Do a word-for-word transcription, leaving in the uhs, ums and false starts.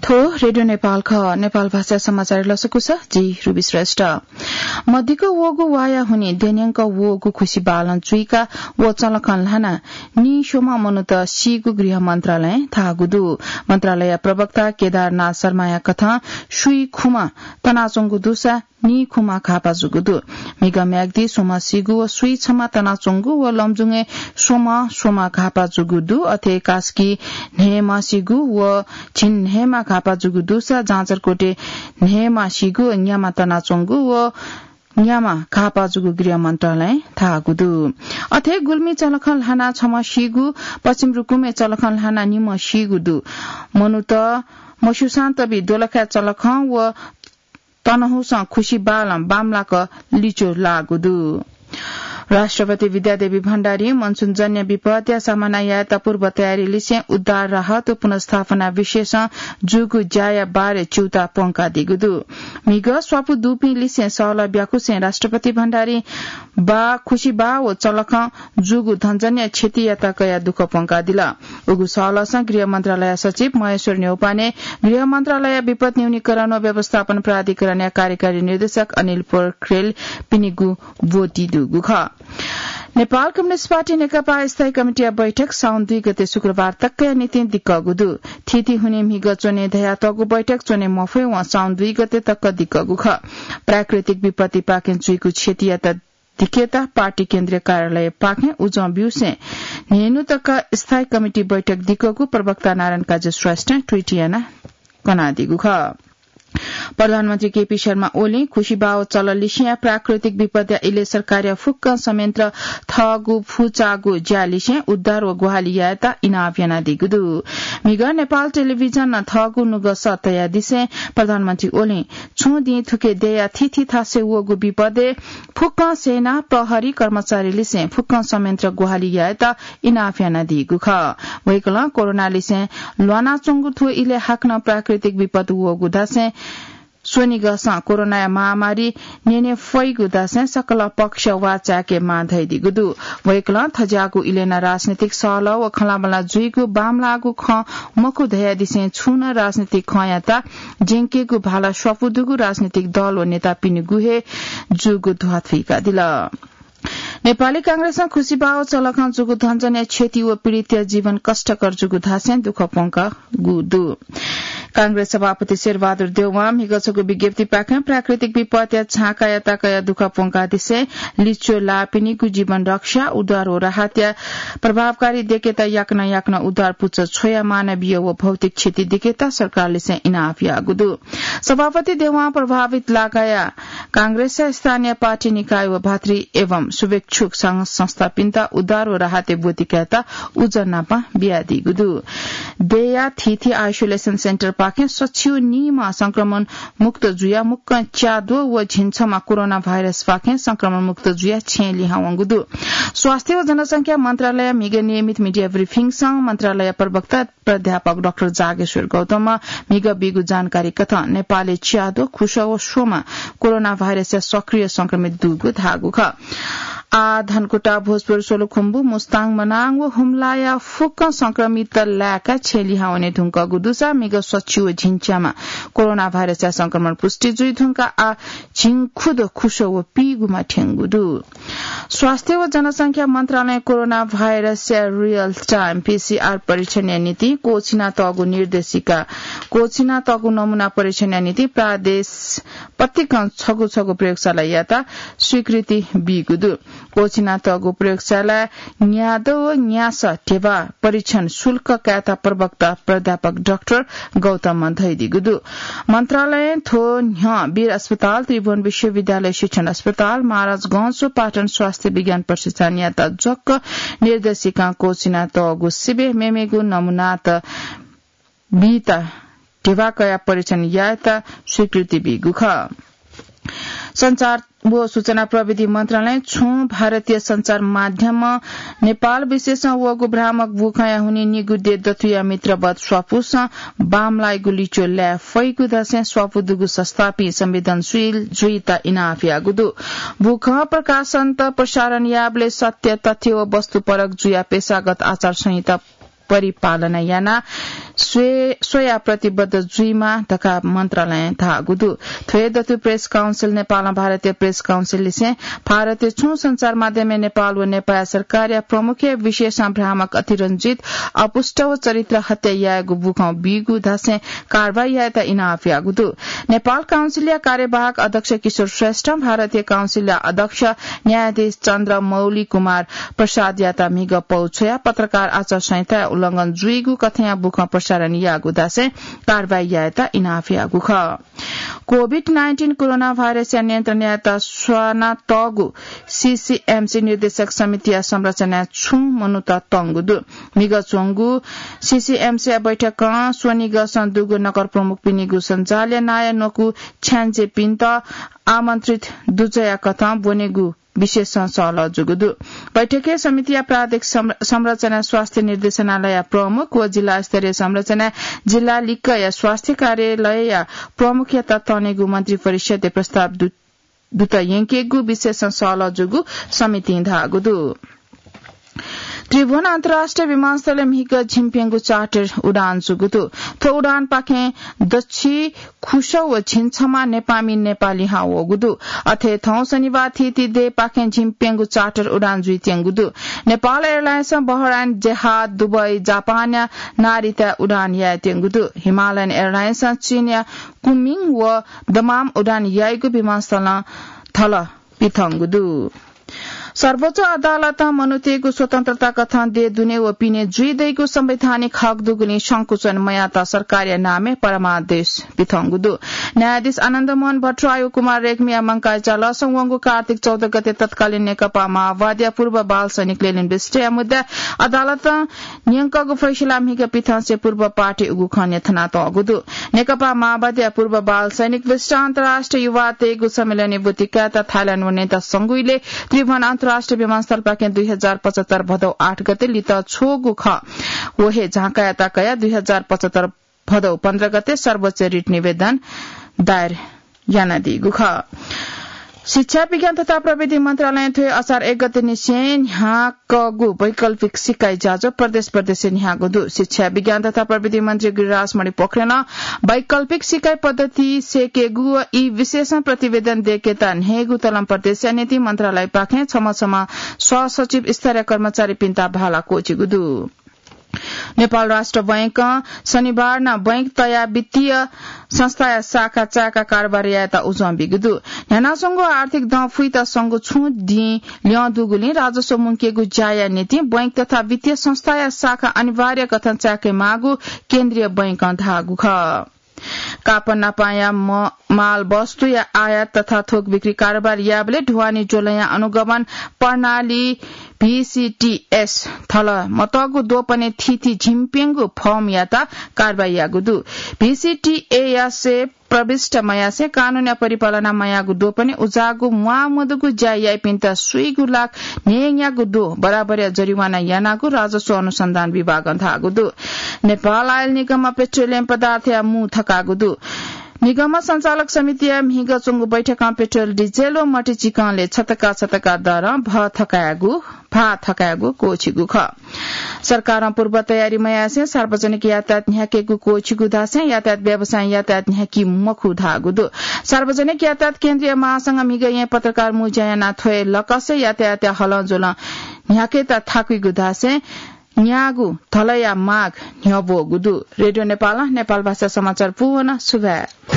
थ्व रेडियो नेपाल खः। नेपाल भाषा समाचार लसकुस, जि रुबी श्रेष्ठ। मदिक्क वःगु वाया हुने द्यन्यंक वःगु खुसि बालं चुइका व चलखं ल्हाना नीस्वम्ह मनूत सीगु गृह मन्त्रालयं धाःगु दु। मन्त्रालय प्रवक्ता केदारनाथ शर्माया कथं सुइखुम्ह तनाच्वंगु दुसा नीखुम्ह घाःपाः जूगु दु। म्हिगः म्याग्दी स्वम्ह सीगु व सुइछम्ह तनाच्वंगु व लमजुङय् स्वम्ह स्वम्ह घाःपाः जूगु दु। अथे कास्की न्हय्म्ह सीगु व झिंन्हय्म्ह घाःपाः जूगु दुसा जाजरकोटय् न्हय्म्ह सीगु व न्याम्ह तनाच्वंगु व न्याम्ह घाःपाः जूगु गृह मन्त्रालयं धाःगु दु। अथे गुल्मी चलखं ल्हाना छम्ह सीगु, पश्चिम रुकुमय् चलखं ल्हाना निम्ह सीगु दु। मनूत मस्यूसां तबि दोलखाय् चलखं व तनहुसं खुसि बालं बांमलाक लिच्वः लाःगु दु। राष्ट्रपति विद्यादेवी भण्डारीं मनसुनजन्य विपदया सामना यायेत पूर्व तयारी लिसें उद्धार, राहत व पुनर्स्थापना विषयसं जूगु ज्याया बारे च्यूताः प्वंकादीगु दु। म्हिगः स्वापू दुपिं लिसें सहलह ब्याकुसें राष्ट्रपति भण्डारीं बाः, खुसि बाः व चलखं जूगु धनजन्य क्षतियात कयाः दुःख प्वंकादिल। उगु सहलहसं गृह मन्त्रालय सचिव महेश्वर न्यौपाने, गृह मन्त्रालय विपद न्यूनीकरण व व्यवस्थापन प्राधिकरणया कार्यकारी निर्देशक अनिल पोखरेल पिनिगु ब्वति दुगु खः। नेपाल कम्युनिस्ट पार्टी नेकपा स्थायी कमिटीया बैठक साउन दुई गते शुक्रबार तकया निंतिं दिक्कःगु दु। थीथी हुने म्हिगः च्वने धयातःगु बैठक च्वने मफयेवं साउन दुई गते तक दिक्कःगु खः। प्राकृतिक विपत्तिपाखें जुइगु क्षतियात दिकेत पार्टी केन्द्रीय कार्यालयपाखें उजं ब्यूसें न्हय्न्हु तक स्थायी कमिटी बैठक दिक्कःगु प्रवक्ता नारायण काजी श्रेष्ठं ट्वीट यानाः कनादीगु खः। प्रधानमन्त्री केपी शर्मा ओलीं खुसि बाः व चलः लिसेंया प्राकृतिक विपदया इलय् सरकारया फुक्क संयन्त्र थःगु फुचाःगु ज्या लिसें उद्धार व ग्वाहालि यायेत इनाप यानादीगु दु। म्हिगः नेपाल टेलिभिजनं थःगु नुगः सः तयादिसें प्रधानमन्त्री ओलीं छुं दिं थुखे देय्या थीथी थासय् वःगु विपदय् फुक्कं सेना, प्रहरी कर्मचारी लिसें फुक्कं संयन्त्र ग्वाहालि यायेत इनाप यानादीगु खः। वय्कलं कोरोना लिसें ल्वानाच्वंगु थ्व इलय् हाकनं प्राकृतिक विपत वःगु धासें स्वनिगःसं कोरोनाया महामारी न्यने फइगु धासें सकल पक्ष वाःचाय्के माः धयादीगु दु। वय्कलं थज्याःगु इलय् नं राजनीतिक सहलह व खँल्हाबल्हा जुइगु बांमलाःगु खँ मखु धयादिसें छुं नं राजनीतिक खँयात ज्यंकेगु भाला स्वापू दुगु राजनीतिक दल व नेतापिनिगु हे जूगु ध्वाथुइकादिल। नेपाली कांग्रेसं खुसि बाः व चलखं जूगु धनजन्य क्षति व पीडितया जीवन कष्टकर जूगु धासें दुःख प्वंकागु दु। कांग्रेस सभापति शेरबहादुर देउवां म्हिगः छगू विज्ञप्तिपाखें प्राकृतिक विपत्या झाँकायात कयाः दुःख प्वंकादिसें लिच्वः लाःपिनिगु जीवन रक्षा, उद्धार व राहतया प्रभावकारी दिकेत याकनं याकनं उद्धार पुचः छ्वयाः मानवीय व भौतिक क्षति दिकेत सरकारलिसें इनाप याःगु दु। सभापति देउवां प्रभावित लागाया कांग्रेसया स्थानीय पार्टी निकाय व भातृ एवं शुभेच्छुक संघ संस्थापिन्त उद्धार व राहतया ब्वति कायेत उजं नापं बियादीगु दु। देय्या थीथी isolation centre पाखें सच्छि व नीम्ह संक्रमण मुक्त जुयाः मुक्कं च्याद्वः व झिंछम्ह कोरोना भाइरसपाखें संक्रमण मुक्त जुयाः छेँय् लिहां वंगु दु। स्वास्थ्य व जनसंख्या मन्त्रालयया म्हिगः नियमित media briefing नं मन्त्रालय प्रवक्ता प्राध्यापक डाक्टर जागेश्वर गौतमं म्हिगः बीगु जानकारी कथं नेपालय् च्याद्वः खुसः व स्वम्ह कोरोना भाइरसया सक्रिय संक्रमित दुगु धाःगु खः। आः धनकुटा, भोजपुर, सोलुखुम्बु, मुस्ताङ, मनाङ व हुम्लाया फुक्क संक्रमित लाय्काः छेँय् लिहां वने धुंकूगु दुसा म्हिगः सच्छि व झिंच्याम्ह कोरोना भाइरसया संक्रमण पुष्टि जुइ धुंकाः आः झिंखुदँ खुसः व पीगुमा थ्यंगु दु। स्वास्थ्य व जनसंख्या मन्त्रालयं कोरोना भाइरसया real time PCR परीक्षणया निंतिं क्वःछिनातःगु निर्देशिका, क्वःछिनातःगु नमूना परीक्षणया निंतिं प्रदेश पतिकं छगू छगू प्रयोगशालायात स्वीकृति बीगु दु। क्वःछिनातःगु प्रयोगशालाय् न्यादँ व न्यासः ध्यबा परीक्षण शुल्क कायेत प्रवक्ता प्राध्यापक डाक्टर गौतमं धयादीगु दु। मन्त्रालयं थ्व न्ह्यः वीर अस्पताल, त्रिभुवन विश्वविद्यालय शिक्षण अस्पताल, महाराजगंज व पाटन स्वास्थ्य विज्ञान प्रतिष्ठानयात जक निर्देशिकां क्वःछिनातःगु सिबें मेमेगु नमूनात बीत ध्यबा कयाः परीक्षण यायेत स्वीकृति बीगु खः। सञ्चार व सूचना प्रविधि मन्त्रालयं छुं भारतीय सञ्चार माध्यमं नेपाल विशेषं वःगु भ्रामक बुखँया हुनिं निगू देय् दथुया मित्रवत स्वापूसं बांमलाइगु लिच्वः लाये फइगु धासें स्वापू दुगु संस्थापिं संवेदनशील जुइत इनाप याःगु दु। बुखँ प्रकाशनत प्रसारण याःबलय् सत्य तथ्य व वस्तुपरक जुयाः पेशागत आचार संहिता परिपालना याना स्वया प्रतिबद्ध जुइमा धकाः मन्त्रालयं धाःगु दु। थ्व दतु प्रेस काउन्सिल नेपालं भारतीय प्रेस काउन्सिल लिसें भारतीय छुं संचार माध्यमय् नेपाल व नेपाल सरकारया प्रमुखया विशेषां भ्रामक अतिरञ्जित अपुष्ट व चरित्र हत्या यायेगु बुखं बीगु धासें कारवाही यायेत इनाप याःगु दु। नेपाल काउन्सिलया कार्यवाहक अध्यक्ष किशोर श्रेष्ठ भारतीय काउन्सिलया अध्यक्ष न्यायाधीश चन्द्र मौली कुमार प्रसादयात म्हिगः पौ छ्वयाः पत्रकार आचार संहिताया उल्लंघन जुइगु कथंया बुखं प्रसारण याःगु धासें कारवाही यायेत इनाप याःगु खः। COVID nineteen कोरोना भाइरसया नियन्त्रण यायेत स्वानातःगु सीसीएमसी निर्देशक समितिया संरचनाय् छुं मनूत तंगु दु। म्हिगः च्वंगु सीसीएमसीया बैठकं स्वनिगःसं दुगु नगर प्रमुखपिनिगु सञ्जालया नायः न्वकू छ्याञ्जेपिन्त आमन्त्रित दुजःया कथं ब्वनेगु विशेषं सहलह जूगु दु। बैठकय् समितिया प्रादेशिक संर-, संरचना स्वास्थ्य निर्देशनालयया प्रमुख व जिल्ला स्तरीय संरचना जिल्ला लिक्कया स्वास्थ्य कार्यालयया प्रमुखयात तनेगु मन्त्री परिषदया प्रस्ताव दु-, दुत यंकेगु विशेषं सहलह जूगु समितिं धाःगु दु। त्रिभुवन अन्तर्राष्ट्रिय विमानस्थलय् म्हिगः झिंप्यंगू चार्टर उडान जूगु दु। थ्व उडानपाखें दच्छि खुसः व झिंछम्ह नेपाःमि नेपाः लिहां वःगु दु। अथे थौं शनिबार थीथी देय्‌पाखें झिंप्यंगू चार्टर उडान जुइत्यंगु दु। नेपाल एयरलाइन्सं बहराइन, जेहाद, दुबई, जापानया नारिताय् उडान यायेत्यंगु दु। हिमालयन एयरलाइन्सं चीनया कुमिङ व दमाम उडान याइगु विमानस्थलं थल पिथंगु दु। सर्वोच्च अदालतं मनूतय्‌गु स्वतन्त्रता कथं देय् दुने व पिने जुइ दइगु संवैधानिक हक दुगुलिं संकुचन मयात सरकारया नामय् परमादेश पिथंगु दु। न्यायाधीश आनन्द मोहन भट्टराई व कुमार रेग्मीया मंकाः इचालसं वंगु कार्तिक चौध गते तत्कालीन नेकपा माओवादीया पूर्व बाल सैनिक लेलिन विष्टया मुद्दा अदालतं न्यंकःगु फैसला म्हिगः पिथंसे पूर्व पार्टी उगु खँ न्ह्यथनातःगु दु। नेकपा माओवादीया पूर्व बाल सैनिक विष्ट अन्तर्राष्ट्रिय युवा तय्‌गु सम्मेलनय् ब्वति कायेत थाइल्याण्ड वनेत संगुइले त्रिभुवन अन्तर्राष्ट्रिय विमानस्थलपाखें दुई हजार पचहत्तर भदौ आठ गते लित छ्वःगु खः। व हे झांकायात कयाः दुई हजार पचहत्तर भदौ पन्ध्र गते सर्वोच्च रिट निवेदन दायर यानादीगु खः। शिक्षा, विज्ञान तथा प्रविधि मन्त्रालयं थ्व असार एक गते निसें न्ह्याकःगु वैकल्पिक सिकाइ ज्याझ्वः प्रदेश प्रदेशय् न्ह्याःगु दु। शिक्षा, विज्ञान तथा प्रविधि मन्त्री गिरिराज मणि पोखरेलं वैकल्पिक सिकाइ पद्धति सय्‌केगु व ई विषयसं प्रतिवेदन दय्‌केत न्हय्‌गू तलं प्रदेशया निंतिं मन्त्रालयपाखें छम्ह छम्ह सहसचिव स्तरीय कर्मचारीपिन्त भाला क्वःछिगु दु। नेपाल राष्ट्र बैंकं शनिबार नं बैंक तयाः वित्तीय संस्थाया शाखा चाय्‌काः कारोबार यायेत उजं बीगु दु। न्ह्यानाच्वंगु आर्थिक दँ फुइत संगु छुं दिं ल्यं दुगुलिं राजस्व मुंकेगु ज्याया निंतिं बैंक तथा वित्तीय संस्थाया शाखा अनिवार्य कथं चाय्‌के माःगु केन्द्रीय बैंकं धाःगु खः। कापनापांया म-, माल वस्तुया आयात तथा थोक बिक्री कारोबार याःबलय् ढुवानी ज्वलंया अनुगमन प्रणाली भीसीटीएस थल मतःगु द्वपनय् थीथी झिंप्यंगू फर्मयात कारवाही याःगु दु। भीसीटीएसय् प्रविष्ट मयासें कानूनया परिपालना मयाःगु द्वपनय् उजाःगु म्वाःमदुगु ज्या याइपिन्त स्वीगू लाख न्हय्‌न्यागू द्वः बराबरया जरिवाना यानागु राजस्व अनुसन्धान विभागं धाःगु दु। नेपाल आयल निगमं पेट्रोलियम पदार्थया मू थकाःगु दु। निगम सञ्चालक समितिया म्हिगः च्वंगु बैठकं पेट्रोल, डिजेल व मट्टी चिकनले छतका छतका दरं भः थकायेगु, भाः थकायेगु क्वःछिगु खः। सरकारं पूर्व तयारी मयासें सार्वजनिक यातायात न्ह्याकेगु क्वःछिगु धासें यातायात व्यवसायं यातायात न्ह्याकी मखु धाःगु दु। सार्वजनिक यातायात केन्द्रीय महासंघं म्हिगः येँ पत्रकार मू ज्या यानाः थ्व लकसय् यातायातया हलंज्वलं न्ह्याकेत थाकुइगु धासें न्याःगु धलया माग न्ह्यब्वःगु दु। रेडियो नेपालं नेपाल भाषा समाचार पूवन सुभाय्।